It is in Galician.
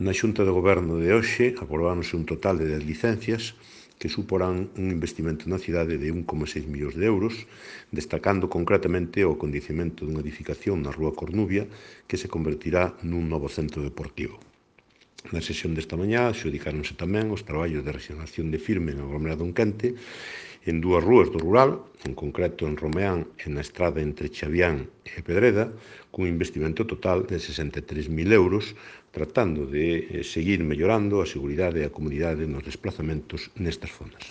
Na Xunta de Goberno de hoxe aprobáronse un total de 10 licencias que suporán un investimento na cidade de 1,6 millóns de euros, destacando concretamente o acondicionamento dunha edificación na Rúa Cornubia que se convertirá nun novo centro deportivo. Na sesión desta mañá adxudicáronse tamén os traballos de rexenación de firme no aglomerado enquente en dúas rúas do rural, en concreto en Romeán e na estrada entre Chavián e Pedreda, cun investimento total de 63.000 euros, tratando de seguir mellorando a seguridade e a comodidade nos desplazamentos nestas zonas.